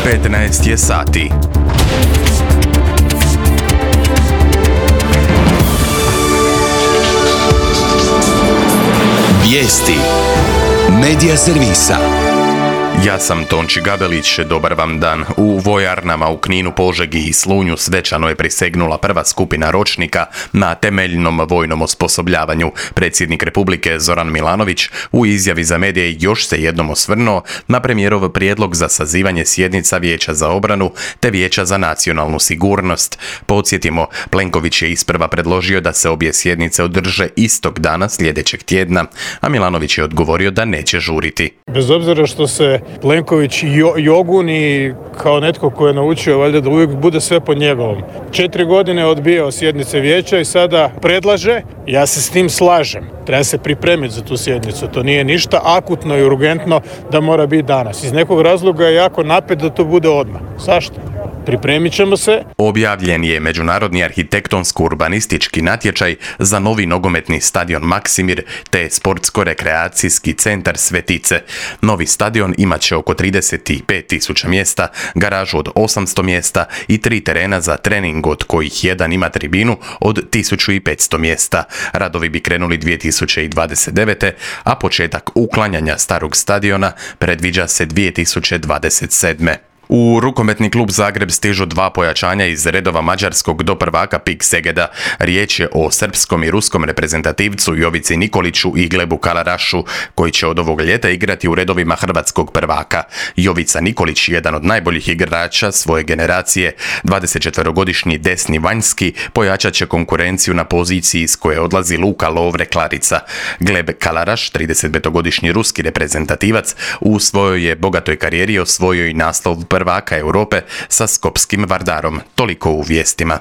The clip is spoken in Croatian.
15 je sati. Vijesti Medija servisa. Ja sam Tonči Gabelić, dobar vam dan. U vojarnama u Kninu, Požegi i Slunju svečano je prisegnula prva skupina ročnika na temeljnom vojnom osposobljavanju. Predsjednik Republike Zoran Milanović u izjavi za medije još se jednom osvrnuo na premijerov prijedlog za sazivanje sjednica Vijeća za obranu te Vijeća za nacionalnu sigurnost. Podsjetimo, Plenković je isprva predložio da se obje sjednice održe istog dana sljedećeg tjedna, a Milanović je odgovorio da neće žuriti. Bez obzira što se Plenković joguni kao netko ko je naučio valjda da uvijek bude sve po njegovom. 4 godine je odbijao sjednice vijeća i sada predlaže, ja se s tim slažem. Treba se pripremiti za tu sjednicu. To nije ništa akutno i urgentno da mora biti danas. Iz nekog razloga je jako napet da to bude odmah. Zašto? Pripremit ćemo se. Objavljen je međunarodni arhitektonsko-urbanistički natječaj za novi nogometni stadion Maksimir te sportsko-rekreacijski centar Svetice. Novi stadion imat će oko 35.000 mjesta, garažu od 800 mjesta i 3 terena za trening, od kojih jedan ima tribinu od 1.500 mjesta. Radovi bi krenuli 2029. a početak uklanjanja starog stadiona predviđa se 2027. U rukometni klub Zagreb stižu 2 pojačanja iz redova mađarskog do prvaka PIK Segeda. Riječ je o srpskom i ruskom reprezentativcu Jovici Nikoliću i Glebu Kalarašu, koji će od ovog ljeta igrati u redovima hrvatskog prvaka. Jovica Nikolić, jedan od najboljih igrača svoje generacije, 24-godišnji desni vanjski, pojačat će konkurenciju na poziciji s koje odlazi Luka Lovre Klarica. Gleb Kalaraš, 35-godišnji ruski reprezentativac, u svojoj je bogatoj karijeri osvojio i naslov prvaka Europe sa skopskim Vardarom. Toliko u vijestima.